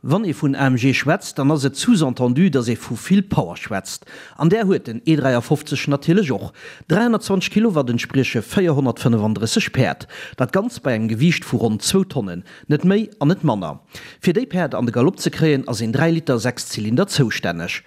Wann ee vun AMG schwätzt, dann ass et sous-entendu, datt ee vu vill Power schwätzt. An där huet den E53 natierlech och. 320 Kilowatt entsprieche 435 Päerd. Dat Ganzt bei engem Gewiicht vu ronn zwou Tonnen. Net méi an net manner. Fir déi Päerd an de Galopp ze kréien, ass een 3 Liter Sechszylinder zoustänneg.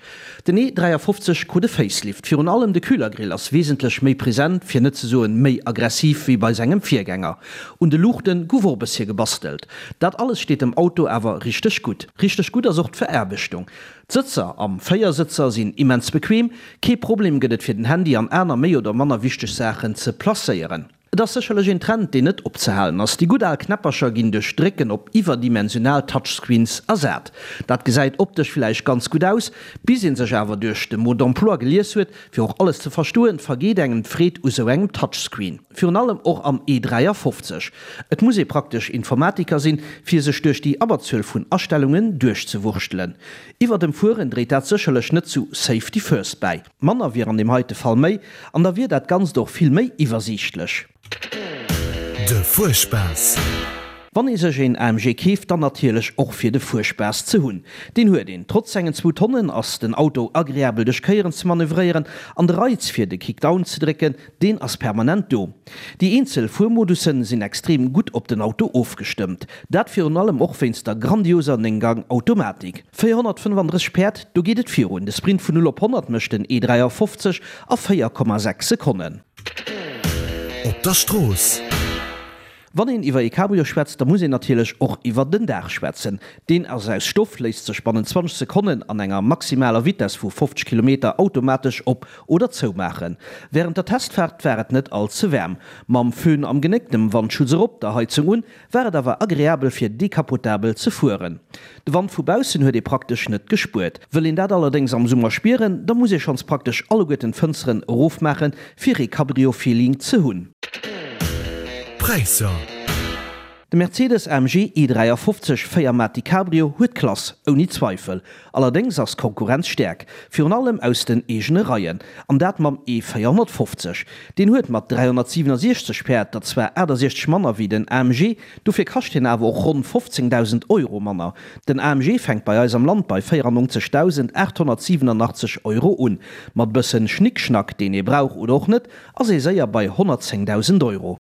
Den E 53 krut e Facelift. Virun allem de Kühlergrill ass wesentlech méi present, fir net ze soen méi aggressiv wéi bei sengem Virgänger. Un de Luuchten guff och e bëssche gebastelt. Dat alles steet dem Auto awer richteg gutt. Richteg gutt ass och d'Veraarbechtung. D'Sëtzer am Véiersëtzer sinn immens bequem, kee Problem gëtt et fir den Handy an aner méi oder manner wichteg Saachen ze placéieren. Et ass sécherlech een Trend, deen net opzehalen ass. Déi gutt al Knäppercher ginn duerch Drécken op iwwerdimensional Touchscreens ersat. Dat gesäit optesch villäicht ganz gutt aus, bis ee sech awer duerch de Mode d'emploi gelies huet, fir och alles ze verstoen, vergeet engem d'Freed u sou engem Touchscreen. Virun allem och am E53. Et muss ee praktesch Informatiker sinn, fir sech duerch déi Abberzuel vun Astellungen duerchzewurschtelen. Iwwer dem Fueren dréit dat sécherlech net zu Safety First bäi. Manner wier an deem heite Fall méi, an da wier dat Ganzt och vill méi iwwersiichtlech. De Fuerspaass. Wann ee sech een AMG keeft, dann natierlech och fir de Fuerspaass ze hunn. Deen huet een. Trotz sengen zwou Tonnen ass den Auto agreabel duerch Kéieren ze manövréieren an de Reiz fir de Kickdown ze drécken, Deen ass permanent do. Déi eenzel Fuermodussen sinn extrem gutt op den Auto ofgestëmmt. Dat virun allem och wéinst der grandioser 9 Gang Automatik. 435 Päerd, do geet et virun. De Sprint vun 0 op 100 mécht den E53 a 4,6 Sekonnen. Op der Strooss. Wann een iwwer ee Cabrio schwätzt, da muss een natierlech och iwwer den Daach schwätzen. Deen ass aus Stoff, léisst sech bannent 20 Sekonnen an enger maximaler Vitess vu 50 Kilometer automatesch op oder zoumaachen. Wärend der Testfaart war et net all ze waarm. Mam Föhn am Genéck, dem Wandschutz erop, der Heizung un, war et awer agreabel fir decapotabel ze fueren. De Wand vu baussen huet ee praktesch net gespuert. Wëll een dat allerdéngs am Summer spieren, da muss ee schonns praktesch alleguerten d'Fënsteren erofmaachen, fir ee Cabrio-Feeling ze hunn. Präisser. De Mercedes AMG E53 4 Matic Cabrio huet Klass, ouni Zweifel. Allerdéngs ass d'Konkurrenz staark, virun allem aus den eegene Reien, an dat mam E450. Deen huet mat 367 Päerd der zwar 68 manner wéi den AMG, dofir kascht hien awer och ronn 15.000 Euro manner. Den AMG fänkt bei eis am Land bei 94.887 Euro un. Mat bëssen Schnickschnack, deen ee brauch oder och net, ass ee séier bei 110.000 Euro.